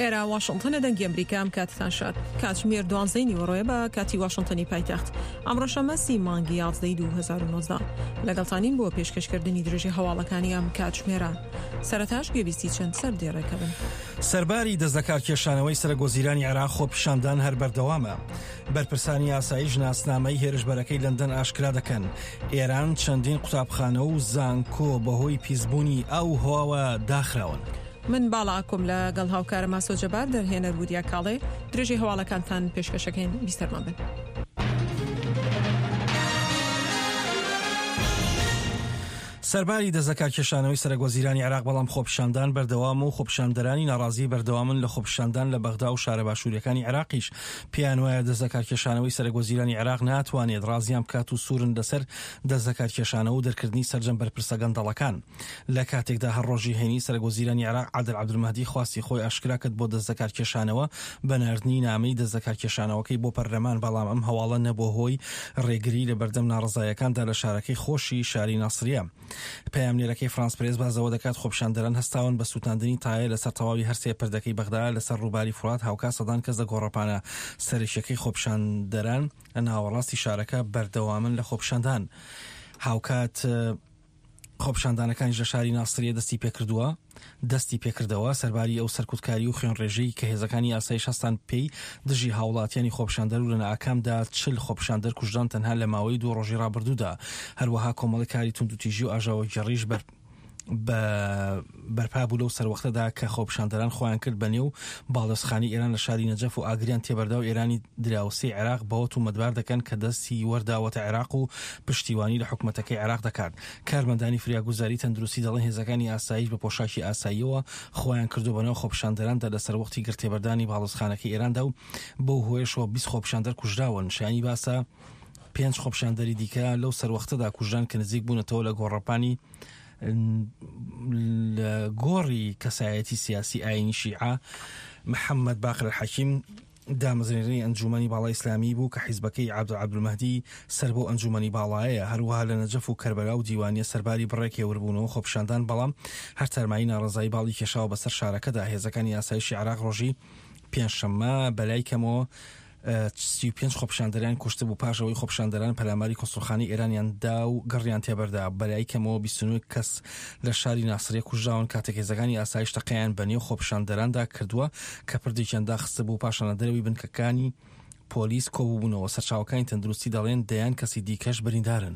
ئێرە واشنتنە دەنگی ئەمریکا ئەم کاتتان شاد کاتژمێر دوانزەی نیوەڕۆیە بە کاتی واشنتنی پایتەخت ئەمڕۆ شەممە سی مانگی یازدەی 2019 لەگەڵتانین بۆ پێشکەشکردنی درێژی هەواڵەکانی ئەم کاتژمێرە سەرەتاش گوێبیستی چەند سەر دێڕێکە بن. سەرباری دەستلەکارکێشانەوەی سەرەکوەزیرانی عێراق خۆپیشاندان هەر بەردەوامە. بەرپرسانی ئاسایش ناسنامەی هێرشبەرەکەی لەندەن ئاشکرا دەکەن. ئێران چەندین قوتابخانە و زانکۆ بەهۆی پیسبوونی ئاو و هەواوە داخراون. من باڵا ئاکۆم لە گەڵ هاوکارم ئاسۆ جەبار دەرهێنەر وریا کاڵێ درێژەی هەواڵەکانتان پێشکەشەکەین بیسەرمان بن. سەرباری دەستلەکارکێشانەوەی سەرەکوەزیرانی عێراق بەڵام خۆپیشاندان بەردەوامە و خۆپیشاندەرانی ناڕازی بەردەوامن لە خۆپیشاندان لە بەغدا و شارە باشووریەکانی عێراقیش پێیان وایە دەستلەکارکێشانەوەی سەرەکوەزیرانی عێراق ناتوانێت ڕازیان بکات و سوورن لەسەر دەستلەکارکێشانەوە و دەرکردنی سەرجەم بەرپرسە گەندەڵەکان. لە کاتێکدا هەر ڕۆژی هەینی سەرەکوەزیرانی عێراق عادل عەبدولمەهدی خواستی خۆی ئاشکرا کرد بۆ دەستلەکارکێشانەوە بە ناردنی نامەی دەستلەکارکێشانەوەکەی بۆ پەرلەمان، بەڵام ئەم هەواڵە نەبووە هۆی ڕێگری لە بەردەم ناڕەزاییەکاندا لە شارەکەی خۆشی شاری ناسریە. پەیامنێرەکەی فرانس پرێس باس لەوە دەکات خۆپیشاندەران هەستاون بە سووتاندنی تایە لەسەر تەواوی هەرسێ پردەکەی بەغدا لەسەر ڕووباری فورات هاوکات سەدان کەس لە گۆڕەپانە سەرەکیەکەی خۆپیشاندەران لە ناوەڕاستی شارەکە بەردەوامن لە خۆپیشاندان. هاوکات خۆپیشاندانەکانیش لە شاری ناسریە دەستی پێکردووە دەستی پێکردەوە سەرباری ئەو سەرکوتکاری و خوێنڕێژەی کە هێزەکانی ئاسایش هەستان پێی دژی هاوڵاتیانی خۆپیشاندەر و لە ئاکامدا چل خۆپیشاندەر کوژران تەنها لە ماوەی دوو ڕۆژی ڕابردوودا هەروەها کۆمەڵی کاری توندوتیژی و ئاژاوەگێڕیش بەر بە بەرپا بوو لەو سەروەختەدا کە خۆپیشاندەران خۆیان کرد بە نێو باڵیۆزخانەی ئێران لە شاری نەجەف و ئاگریان تێبەردا و ئێرانی دراوسێی عێراق بەوە تومەتبار دەکەن کە دەستی وەرداوەتە عێراق و پشتیوانی لە حکومەتەکەی عێراق دەکات. کارمەندانی فریاگوزاری تەندروستی دەڵێن هێزەکانی ئاسایش بە پۆشاکی ئاساییەوە خۆیان کردووە بەناو خۆپیشاندەراندا لە سەروەختی گڕتێبەردانی باڵیۆزخانەکەی ئێراندا و بەو هۆیەشەوە 20 خۆپیشاندەر کوژراون. شایانی باسە پێنج خۆپیشاندەری دیکە لەو سەروەختەدا کوژران کە نزیک بوونەتەوە لە گۆڕەپانی لە گۆڕی کەسایەتی سیاسی ئاینی شیعە محەممەد باقر حەکیم دامەزرێنەری ئەنجوومەنی باڵای ئیسلامی بوو کە حیزبەکەی عەبدول عەبدولمەهدی سەر بەو ئەنجوومەنی باڵایەیە هەروەها لە نەجەف و کەربەلا و دیوانیە سەرباری بڕێک هێوربوونەوە خۆپیشاندان بەڵام هەر تارمایی ناڕەزایی باڵی کێشاوە بەسەر شارەکەدا هێزەکانی ئاسایشی عێراق ڕۆژی پێنجشەممە بەلای کەمەوە 35 خۆپیشاندەریان کوشتبوو پاش ئەوەی خۆپیشاندەران پەلاماری کونسوڵخانەی ئێرانیان دا و گڕیان تێبەردا، بەلای کەمەوە 29 کەس لە شاری ناسریە کوژراون کاتێک هێزەکانی ئاسایش تەقەیان بە نێو خۆپیشاندەراندا کردووە کە پردێکیان داخستبوو پاشان لە دەرەوەی بنکەکانی پۆلیس کۆبووبوونەوە، سەرچاوەکانی تەندروستی دەڵێن دەیان کەسی دیکەش بریندارن.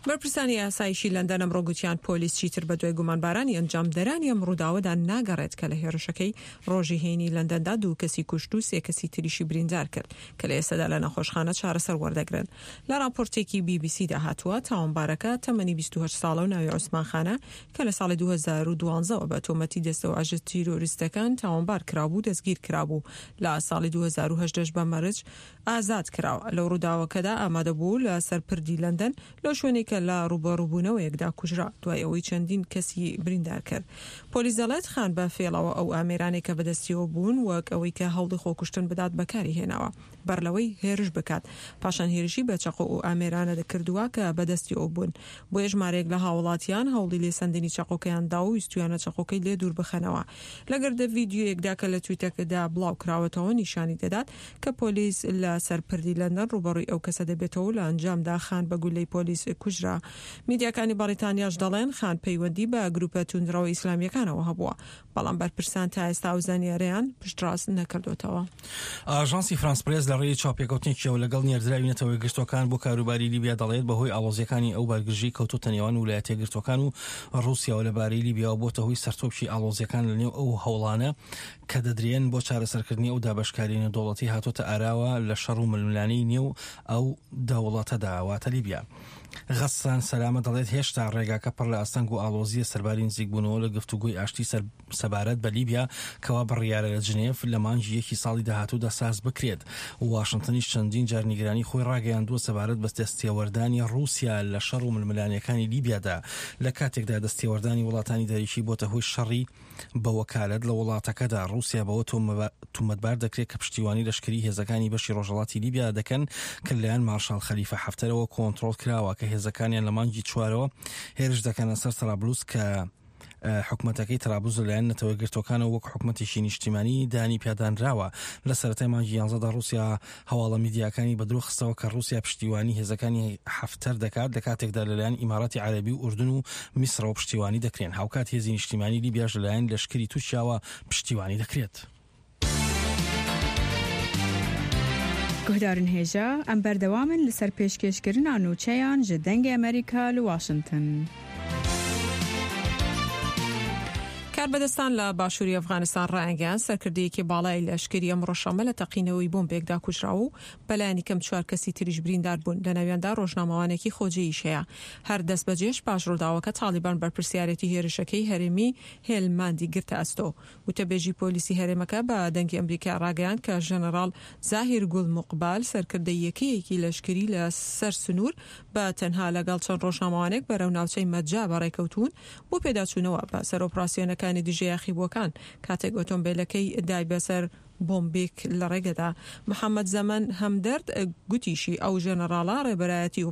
بەرپرسانی ئاسایشی لەندەن ئەمڕۆ گوتیان پۆلیس چیتر بەدوای گومانبارانی ئەنجامدەرانی ئەم ڕووداوەدا ناگەڕێت کە لە هێرشەکەی ڕۆژی هەینی لەندەندا دوو کەسی کوشت و سێ کەسی تریشی بریندار کرد کە لە ئێستادا لە نەخۆشخانە چارەسەر وەردەگرن. لە ڕاپۆرتێکی بی بی سیدا هاتووە تاوانبارەکە تەمەنی 28 ساڵە و ناوی عوسمان خانە کە لە ساڵی 2012 ەوە بە تۆمەتی دەستەواژە تیرۆریستەکان تاوانبار کرابوو دەستگیر کرابوو لە ساڵی 2018 بە مەرج ئازاد کرا و لەو ڕووداوەکەدا ئامادە بوو لە سەر پردی لەندەن لەو شوێنەی کە لە ڕووبەڕووبوونەوەیەکدا کوژرا دوای ئەوەی چەندین کەسی بریندار کرد. پۆلیس دەڵێت خان بە فێڵەوە ئەو ئامێرانەی کە بەدەستیەوە بوون وەک ئەوەی کە هەوڵی خۆکوشتن بدات بەکاری هێناوە بەر لەوەی هێرش بکات پاشان هێرشی بە چەقۆ ئەو ئامێرانە کردووە کە بەدەستیەوە بوون بۆیە ژمارەیەک لە هاوڵاتیان هەوڵی لێسەندنی چەقۆکەیان دا و ویستویانە چەقۆکەی لێ دوور بخەنەوە. لە گردە ڤیدیۆیەکدا کە لە تویتەکەدا بڵاوکراوەتەوە نیشانی دەدات کە پۆلیس لە سەر پردی لەندەن ڕووبەڕووی ئەو کەسە دەبێتەوە و لە ئەنجامدا خان بە گوللەی پۆلیس کوژرا. میدیاکانی بەڕیتانیاش دەڵێن خان پەیوەندی بە گروپە توندڕەوە ئیسلامییەکانەوە هەبووە، بەڵام بەرپرسان تا ئێستا ئەو زانیارییەیان پشتڕاست نەکردۆتەوە. ئاژانسی فرانس پرێس لە ڕێی چاوپێکەوتنێکیەوە لەگەڵ نێردراوی نەتەوە یەکگرتووەکان بۆ کاروباری لیبیا دەڵێت بەهۆی ئاڵۆزییەکانی ئەو بارگرژیی کەوتۆتە نێوان ولایەتە یەکگرتووەکان و ڕووسیاوە لەبارەی لیبیاوە بۆتە هۆی سەرتۆپکی ئاڵۆزییەکان لەنێو ئەو هەوڵانە کە دەدرێن بۆ چارەسەرکردنی ئەو دابەشکارییە نێودەوڵەتی هاتۆتە ئاراوە لە شەڕ و ململانێی نێو ئەو دەوڵەتەدا واتە لیبیا. غەسان سەلامە دەڵێت هێشتا ڕێگاکە پڕ لە ئاستەنگ و ئاڵۆزییە سەرباری نزیکبوونەوە لە گفتوگۆی ئاشتی سەبارەت بە لیبیا کەوا بڕیارە لە جنێف لە مانگی یەکی ساڵی داهاتوودا ساز بکرێت. واشنتنیش چەندین جار نیگەرانی خۆی ڕاگەیاندووە سەبارەت بە دەستێوەردانی ڕووسیا لە شەڕ و ململانێکانی لیبیادا لە کاتێکدا دەستێوەردانی وڵاتانی دەرەکی بۆتە هۆی شەڕی بە وەکالەت لە وڵاتەکەدا. ڕووسیا بەوە تومەتبار دەکرێت کە پشتیوانی لەشکری هێزەکانی بەشی ڕۆژهەڵاتی لیبیا دەکەن کە لەلایەن مارشاڵ خەلیفە حەفتەرەوە کۆنتڕۆڵ کراوە کە هێزەکانیان لە مانگی چوارەوە هێرش دەکەنە سەر تەرابلوس کە. حکومەتەکەی ترابلس لەلایەن نەتەوە یەکگرتووەکانەوە وەک حکومەتێکی نیشتیمانی دانی پیادانراوە. لە سەرەتای مانگی یانزەدا ڕووسیا هەواڵە میدیاکانی بە درۆ خستەوە کە ڕووسیا پشتیوانی هێزەکانی حەفتەر دەکات لە کاتێکدا لەلایەن ئیماراتی عەرەبی و ئوردن و میسرەوە پشتیوانی دەکرێن. هاوکات هێزی نیشتیمانی لیبیاش لەلایەن لەشکری تورکیاوە پشتیوانی دەکرێت. Guhdarên hêja, em berdewam in li ser pêşkêşkirina nûçeyan ji Dengê Amerîka li Washington. کاربەدەستان لە باشووری ئەفغانستان ڕایانگەیاند، سەرکردەیەکی باڵای لەشکری ئەمڕۆ شەممە لە تەقینەوەی بۆمبێکدا کوژرا و بەلایەنی کەم چوار کەسی تریش بریندار بوون، لەناویاندا ڕۆژنامەوانێکی خۆجێییش هەیە. هەر دەستبەجێش پاش ڕووداوەکە تاڵیبان بەرپرسیارێتی هێرشەکەی هەرێمی هێلماندی گرتە ئەستۆ. وتەبێژی پۆلیسی هەرێمەکە بە دەنگی ئەمریکای ڕاگەیاند کە ژەنەڕاڵ زاهیر گوڵ موقبال سەرکردەی یەکەیەکی لەشکری لە سەر سنوور بە تەنها لەگەڵ چەند ڕۆژنامەوانێک بەرەو ناوچەی مەجا بەڕێکەوتوون بۆ پێداچوونەوە بە سەر ئۆپراسیۆنەکانی دژە یاخیبووەکان کاتێک ئۆتۆمبێلەکەی دای بەسەر بۆمبێک لە ڕێگەدا. محەمەد زەمەن هەمدەرد گوتیشی ئەو ژەنەڕاڵە ڕێبەرایەتی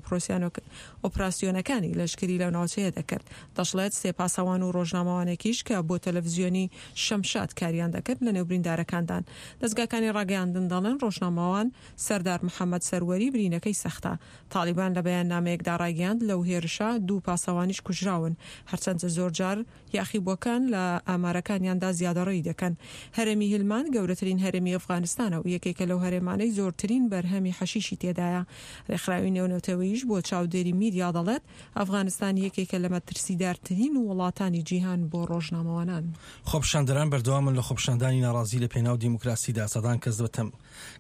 ئۆپراسیۆنەکانی لەشکری لەو ناوچەیە دەکرد. دەشڵێت سێ پاسەوان و ڕۆژنامەوانێکیش کە بۆ تەلەفزیۆنی شەمشاد کاریان دەکرد لەنێو بریندارەکاندان. دەزگاکانی ڕاگەیاندن دەڵێن ڕۆژنامەوان سەردار محەمەد سەروەری برینەکەی سەختە. تاڵیبان لە بەیاننامەیەکدا ڕایگەیاند لەو هێرشە دوو پاسەوانیش کوژراون. هەرچەندە زۆرجار یاخیبووەکان لە ئامارەکانیاندا زیادەڕۆیی دەکەن. هەرێمی هیلماند گەورەترین هەرێمی ئەفغانستانە و یەکێکە لەو هەرێمانەی زۆرترین بەرهەمی حەشیشی تێدایە. رێکخراوی نێونەتەوەییش بۆ چاودێری میدیا دەڵێت، ئەفغانستان یەکێکە لە مەترسیدارترین وڵاتانی جیهان بۆ رۆژنامەوانان. خۆپیشاندەران بەردەوامن لە خۆپیشاندانی ناڕازی لە پێناو دیموکراسیدا، سەدان کەس بە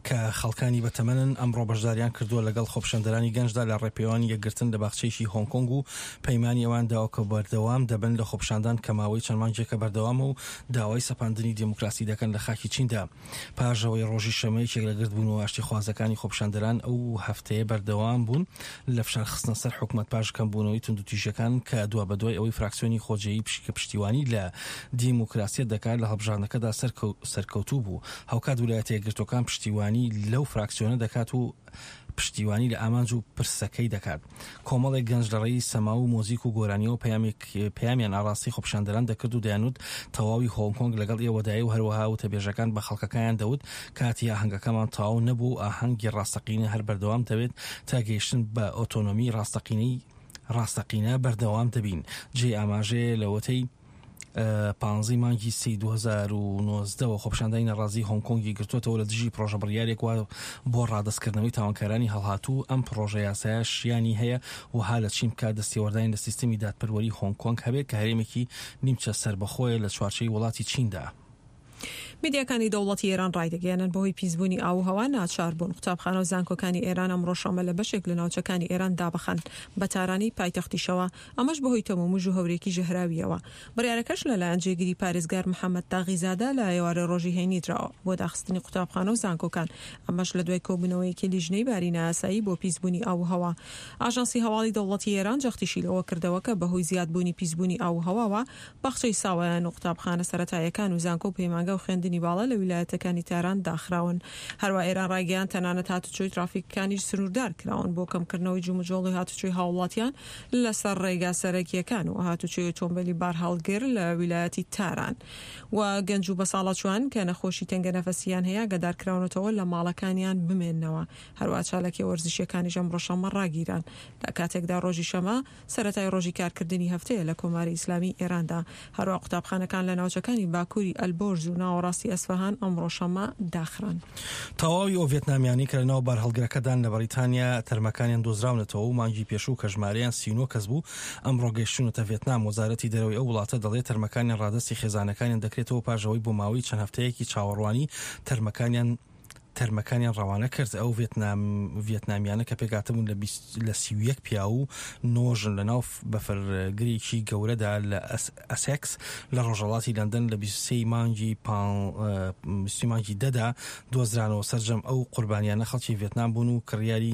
کە خەڵکانی بەتەمەنن ئەمڕۆ بەشداریان کردووە لەگەڵ خۆپیشاندەرانی گەنجدا لە ڕێپێوانی یەکگرتن لە باخچەیەکی هۆنگ کۆنگ و پەیمانی ئەوان داوە کە بەردەوام دەبن لە خۆپیشاندان کە ماوەی چەند مانگێکە بەردەوامە و داوای سەپاندنی دیموکراسی دەکەن لە خاکی چیندا پاش ئەوەی ڕۆژی شەممە یەکێک لە گردبوونەوە ئاشتیخوازەکانی خۆپیشاندەران ئەو هەفتەیە بەردەوام بوون لە فشار خستنە سەر حکومەت پاش کەمبوونەوەی توندوتیژیەکان کە دوابەدوای ئەوەی فراکسیۆنی خۆجێیی کە پشتیوانی لە دیموکراسیەت دەکات لە هەڵبژاردنەکەدا سەرکەوتوو بوو. هاوکات ولایەتە یەکگرتووەکان پشتیوانی لەو فراکسیۆنە دەکات و پشتیوانی لە ئامانج و پرسەکەی دەکات. کۆمەڵێک گەنج لە ڕێی سەما و مۆزیک و گۆرانیەوە پەیامێک پەیامیان ئاڕاستەی خۆپیشاندەران دەکرد و دەیانوت تەواوی هۆنگ کۆنگ لەگەڵ ئێوەدایە و هەروەها وتەبێژەکان بە خەڵکەکەیان دەوت کاتی ئاهەنگەکەمان تەواو نەبوو و ئاهەنگی ڕاستەقینە هەر بەردەوام دەبێت تا گەیشتن بە ئۆتۆنۆمی ڕاستەقینەی ڕاستەقینە بەردەوام دەبین. جێی ئاماژەیە لەوەتەی پانزەی مانگی سێی 2019 وە خۆپیشاندانی ناڕازیی هۆنگ کۆنگی گرتووەتەوە لە دژی پڕۆژە بڕیارێک وا بۆ ڕادەستکردنەوەی تاوانکارانی هەڵهاتوو، ئەم پڕۆژە یاسایە شیانی هەیە وەها لە چین بکات دەستێوەردانی لە سیستمی دادپەروەری هۆنگ کۆنگ هەبێت کە هەرێمێکی نیمچە سەربەخۆیە لە چوارچێوەی وڵاتی چیندا. میدیاکانی دەوڵەتی ئێران ڕایدەگەیەنن، بەهۆی پیسبوونی ئاو و هەوا ناچار بوون قوتابخانە و زانکۆکانی ئێران ئەمڕۆ شەممە لە بەشێک لە ناوچەکانی ئێران دابخەن بە تارانی پایتەختیشەوە، ئەمەش بەهۆی تەمومژ و هەورێکی ژەهراوییەوە. بڕیارەکەش لەلایەن جێگری پارێزگار محەمەد تاغیزادە لە ئێوارەی ڕۆژی هەینی دراوە بۆ داخستنی قوتابخانە و زانکۆکان، ئەمەش لە دوای کۆبوونەوەیەکی لیژنەی باری نایاسایی بۆ پیسبوونی ئاو و هەوا. ئاژانسی هەواڵی دەوڵەتی ئێران جەختیشی لەوە کردەوە کە بەهۆی زیادبوونی پیسبوونی ئاو و هەواوە باخچەی ساوایان و قوتابخانە سەرەتاییەکان و زانکۆ و پەیمانگا و خوێندنی باڵا لە ویلایەتەکانی تاران داخراون. هەروا ئێران ڕایگەیاند تەنانەت هاتوچۆی ترافیکەکانیش سنووردار کراون بۆ کەمکردنەوەی جموجۆڵی هاتوچۆی هاووڵاتیان لەسەر ڕێگا سەرەکییەکان و هاتوچۆی ئۆتۆمبێلی بارهەڵگر لە ویلایەتی تاران و گەنج و بەساڵاچووان کە نەخۆشی تەنگەنەفەسییان هەیە ئاگادارکراونەتەوە لە ماڵەکانیان بمێننەوە. هەروا چالاکییە وەرزشییەکانیش ئەمڕۆ شەممە ڕاگیران لە کاتێکدا ڕۆژی شەمە سەرەتای ڕۆژی کارکردنی هەفتەیە لە کۆماری ئیسلامیی ئێراندا. هەروەها قوتابخانەکان لە ناوچەکانی باکووری ئەلبۆرز و ناوەڕاستی ئەسفەهان ئەمڕۆ شەممە داخران. تەواوی ئەو ڤێتنامیانەی کە لەناو بارهەڵگرەکەدان لە بەریتانیا تەرمەکانیان دۆزراونەتەوە و مانگی پێشوو کە ژمارەیان 39 کەس بوو، ئەمڕۆ گەیشتوونەتە ڤێتنام. وەزارەتی دەرەوەی ئەو وڵاتە دەڵێت تەرمەکانیان ڕادەستی خێزانەکانیان دەکرێتەوە پاش ئەوەی بۆ ماوەی چەند هەفتەیەکی چاوەڕوانی تەرمەکانیان تەرمەکانیان ڕەوانە کرد. ئەو ڤیێتنامیانە کە پێکهاتبوون لە لە 31 پیاو و نۆ ژن لە ناو بەفرگرێکی گەورەدا لە ئەسێکس لە ڕۆژهەڵاتی لەندەن لە 23 مانگی 23 مانگی دەدا دۆزرانەوە. سەرجەم ئەو قوربانیانە خەڵکی ڤێتنام بوون و کڕیاری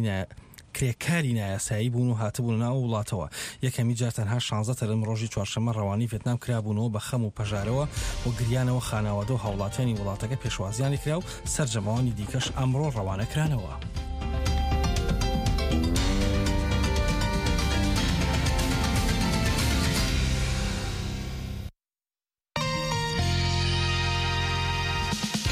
کرێکاری نایاسایی بوون و هاتبوونە ناو ئەو وڵاتەوە. یەکەمی جار تەنها شانزە تەرم ڕۆژی چوارشەممە ڕەوانەی ڤێتنام کرابوونەوە بە خەم و پەژارەوە و گریانەوە خانەوادە و هاوڵاتیانی وڵاتەکە پێشوازیان لێکرا و سەرجەم ئەوانی دیکەش ئەمڕۆ ڕەوانە کرانەوە.